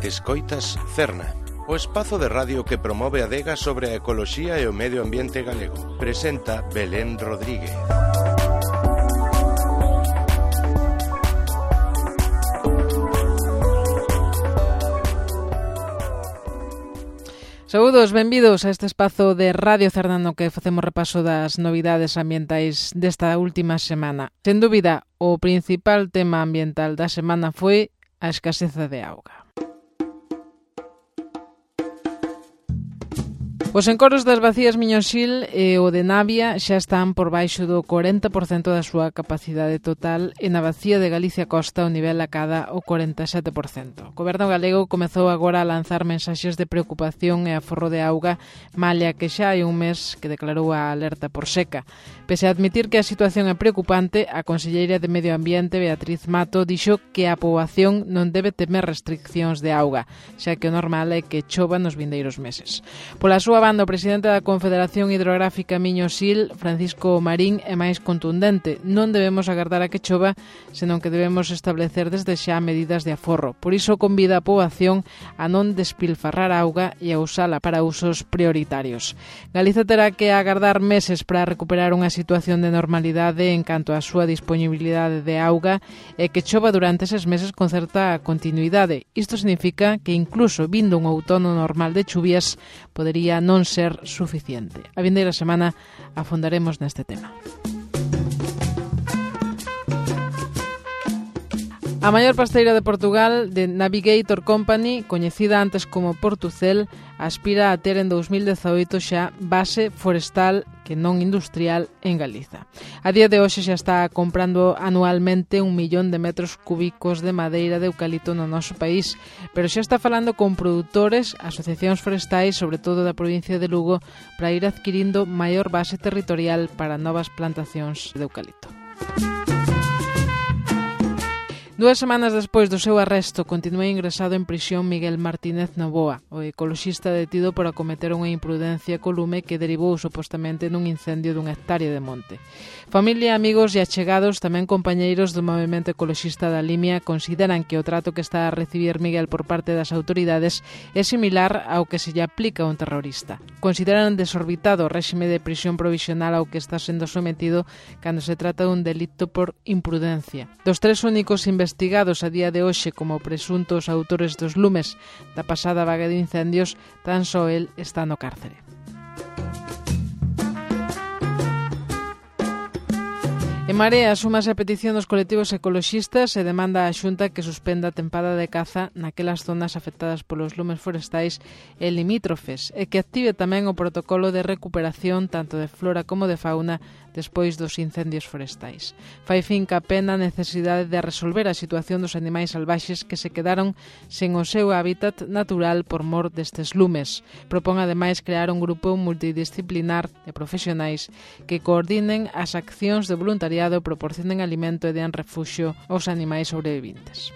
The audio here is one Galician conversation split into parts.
Escoitas Cerna, o espazo de radio que promove a adega sobre a ecoloxía e o medio ambiente galego. Presenta Belén Rodríguez. Saúdos, benvidos a este espazo de Radio Cerna no que facemos repaso das novidades ambientais desta última semana. Sen dúbida, o principal tema ambiental da semana foi a escaseza de auga. Os encoros das bacías Miñoxil e o de Navia xa están por baixo do 40% da súa capacidade total e na bacía de Galicia Costa o nivel acada o 47%. O Goberno galego comezou agora a lanzar mensaxes de preocupación e aforro de auga, malia que xa hai un mes que declarou a alerta por seca. Pese a admitir que a situación é preocupante, a conselleira de Medio Ambiente, Beatriz Mato, dixo que a poboación non debe temer restriccións de auga, xa que o normal é que chova nos vindeiros meses. Pola súa banda, o presidente da Confederación Hidrográfica Miñoxil, Francisco Marín, é máis contundente. Non debemos agardar a que chova, senón que debemos establecer desde xa medidas de aforro. Por iso convida a poboación a non despilfarrar auga e a usala para usos prioritarios. Galiza terá que agardar meses para recuperar unha situación de normalidade en canto á súa disponibilidade de auga e que chova durante eses meses con certa continuidade. Isto significa que incluso vindo un outono normal de chuvias podería non ser suficiente. A vindeira semana afondaremos neste tema. A maior pasteira de Portugal, The Navigator Company, coñecida antes como Portucel, aspira a ter en 2018 xa base forestal que non industrial en Galiza. A día de hoxe xa está comprando anualmente 1 millón de metros cúbicos de madeira de eucalipto no noso país, pero xa está falando con produtores, asociacións forestais, sobre todo da provincia de Lugo, para ir adquirindo maior base territorial para novas plantacións de eucalipto. 2 semanas despois do seu arresto, continúa ingresado en prisión Miguel Martínez Novoa, o ecoloxista detido por acometer unha imprudencia co lume que derivou supostamente nun incendio dunha hectárea de monte. Familia, amigos e achegados, tamén compañeiros do movimento ecoloxista da Limia, consideran que o trato que está a recibir Miguel por parte das autoridades é similar ao que se lle aplica a un terrorista. Consideran desorbitado o réxime de prisión provisional ao que está sendo sometido cando se trata dun delito por imprudencia. Dos 3 únicos investigados a día de hoxe como presuntos autores dos lumes da pasada vaga de incendios, tan só el está no cárcere. En Marea súmase a petición dos colectivos ecoloxistas e demanda á Xunta que suspenda a tempada de caza naquelas zonas afectadas polos lumes forestais e limítrofes e que active tamén o protocolo de recuperación tanto de flora como de fauna despois dos incendios forestais. Fai fincapé na necesidade de resolver a situación dos animais salvaxes que se quedaron sen o seu hábitat natural por mor destes lumes. Propón ademais crear un grupo multidisciplinar de profesionais que coordinen as accións de voluntariado, proporcionen alimento e den refuxio aos animais sobreviventes.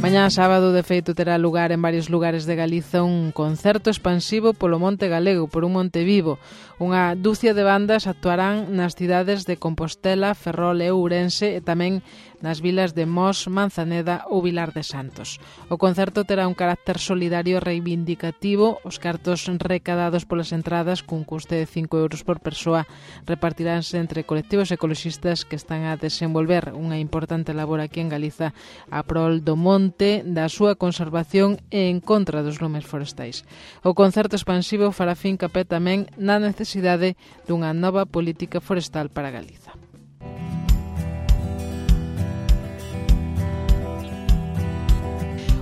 Mañá sábado, de feito, terá lugar en varios lugares de Galiza un concerto expansivo polo Monte Galego, por un monte vivo. Unha dúcia de bandas actuarán nas cidades de Compostela, Ferrol e Ourense e tamén nas vilas de Mos, Manzaneda ou Vilar de Santos. O concerto terá un carácter solidario e reivindicativo. Os cartos recadados polas entradas, cun custe de 5 euros por persoa, repartiránse entre colectivos ecoloxistas que están a desenvolver unha importante labor aquí en Galiza a prol do monte, da súa conservación e en contra dos lumes forestais. O concerto expansivo fará fincapé tamén na necesidade dunha nova política forestal para Galiza.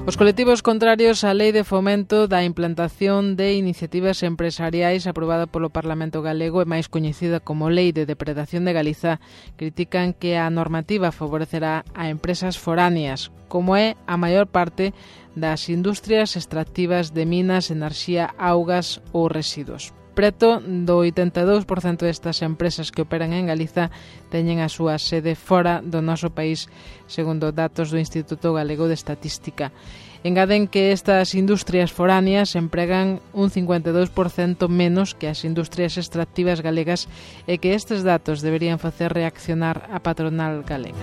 Os colectivos contrarios á Lei de Fomento da Implantación de Iniciativas Empresariais aprobada polo Parlamento Galego e máis coñecida como Lei de Depredación de Galiza critican que a normativa favorecerá a empresas foráneas, como é a maior parte das industrias extractivas de minas, enerxía, augas ou residuos. Preto do 82% destas empresas que operan en Galiza teñen a súa sede fora do noso país, segundo datos do Instituto Galego de Estatística. Engaden que estas industrias foráneas empregan un 52% menos que as industrias extractivas galegas e que estes datos deberían facer reaccionar a patronal galega.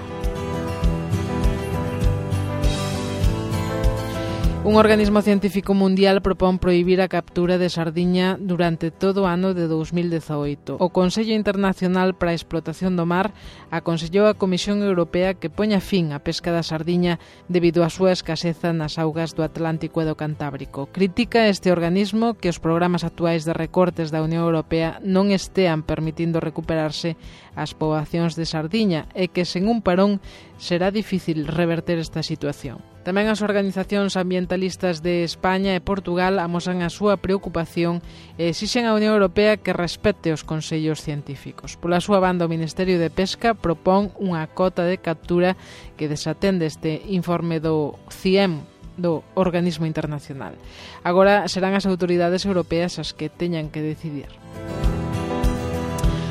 Un organismo científico mundial propón prohibir a captura de sardiña durante todo o ano de 2018. O Consello Internacional para a Explotación do Mar aconsellou a Comisión Europea que poña fin á pesca da sardiña debido á súa escaseza nas augas do Atlántico e do Cantábrico. Critica este organismo que os programas actuais de recortes da Unión Europea non estean permitindo recuperarse as poboacións de sardiña e que sen un parón será difícil reverter esta situación. Tamén as organizacións ambientalistas de España e Portugal amosan a súa preocupación e exixen á Unión Europea que respete os consellos científicos. Pola súa banda, o Ministerio de Pesca propón unha cota de captura que desatende este informe do CIEM, do organismo internacional. Agora serán as autoridades europeas as que teñan que decidir.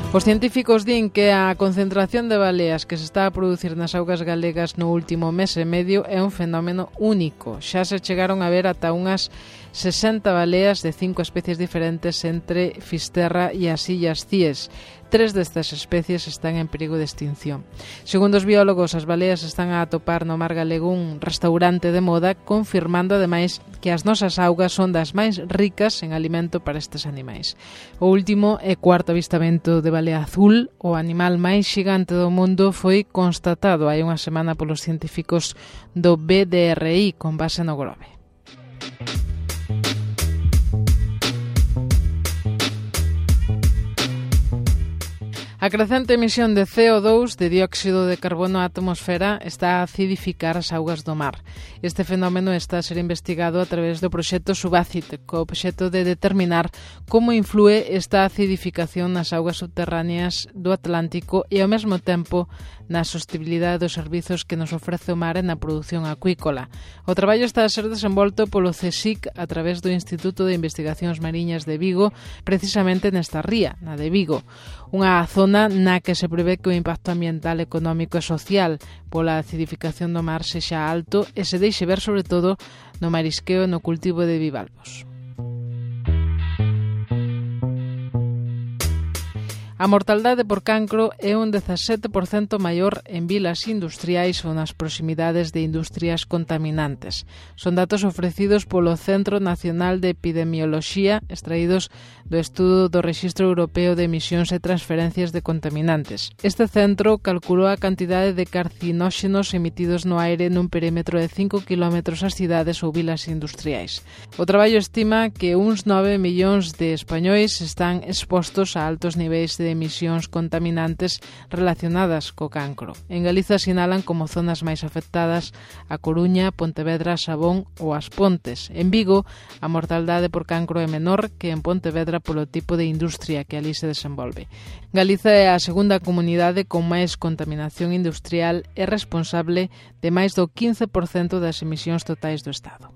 Os científicos din que a concentración de baleas que se está a producir nas augas galegas no último mes e medio é un fenómeno único. Xa se chegaron a ver ata unhas 60 baleas de 5 especies diferentes entre Fisterra e as Illas Cíes. 3 destas especies están en perigo de extinción. Segundo os biólogos, as baleas están a atopar no mar galego un restaurante de moda, confirmando ademais que as nosas augas son das máis ricas en alimento para estes animais. O último e cuarto avistamento de balea azul, o animal máis xigante do mundo, foi constatado hai unha semana polos científicos do BDRI con base no Grove. A crecente emisión de CO2, de dióxido de carbono á atmosfera, está a acidificar as augas do mar. Este fenómeno está a ser investigado a través do proxecto Subacid, co obxecto de determinar como inflúe esta acidificación nas augas subterráneas do Atlántico e, ao mesmo tempo, na sostibilidade dos servizos que nos ofrece o mar e na produción acuícola. O traballo está a ser desenvolto polo CSIC a través do Instituto de Investigacións Mariñas de Vigo, precisamente nesta ría, na de Vigo, unha zona na que se prevé que o impacto ambiental, económico e social pola acidificación do mar sexa alto e se deixe ver sobre todo no marisqueo e no cultivo de bivalvos. A mortaldade por cancro é un 17% maior en vilas industriais ou nas proximidades de industrias contaminantes. Son datos ofrecidos polo Centro Nacional de Epidemioloxía, extraídos do estudo do Rexistro Europeo de Emisións e Transferencias de Contaminantes. Este centro calculou a cantidade de carcinóxenos emitidos no aire nun perímetro de 5 km ás cidades ou vilas industriais. O traballo estima que uns 9 millóns de españois están expostos a altos niveis de emisións contaminantes relacionadas co cancro. En Galiza sinalan como zonas máis afectadas a Coruña, Pontevedra, Sabón ou As Pontes. En Vigo, a mortaldade por cancro é menor que en Pontevedra polo tipo de industria que ali se desenvolve. Galiza é a segunda comunidade con máis contaminación industrial e responsable de máis do 15% das emisións totais do Estado.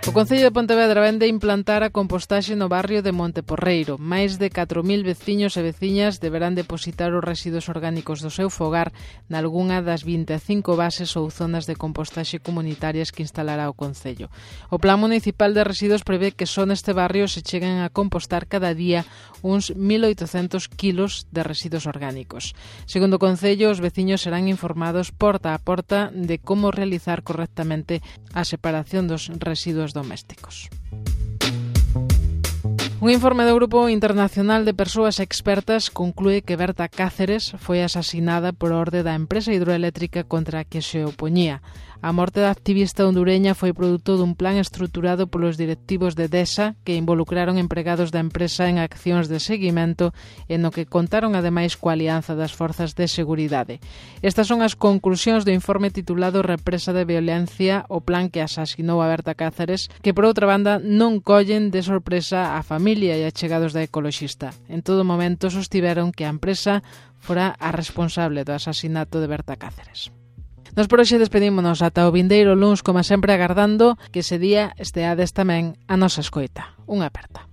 O Concello de Pontevedra vende implantar a compostaxe no barrio de Monteporreiro. Máis de 4.000 veciños e veciñas deberán depositar os residuos orgánicos do seu fogar nalgunha das 25 bases ou zonas de compostaxe comunitarias que instalará o Concello. O Plan Municipal de Residuos prevé que só neste barrio se cheguen a compostar cada día uns 1.800 kilos de residuos orgánicos. Segundo o Concello, os veciños serán informados porta a porta de como realizar correctamente a separación dos residuos domésticos. Un informe do Grupo Internacional de Persoas Expertas conclúe que Berta Cáceres foi asasinada por orde da empresa hidroeléctrica contra a que se opoñía. A morte da activista hondureña foi produto dun plan estruturado polos directivos de DESA que involucraron empregados da empresa en accións de seguimento e no que contaron ademais coa alianza das forzas de seguridade. Estas son as conclusións do informe titulado Represa de Violencia, o plan que asasinou a Berta Cáceres, que por outra banda non collen de sorpresa a familia e achegados da ecoloxista. En todo momento sostiveron que a empresa fora a responsable do asasinato de Berta Cáceres. Nos por hoxe despedímonos ata o vindeiro luns, como sempre agardando que ese día esteades tamén a nosa escoita. Unha aperta.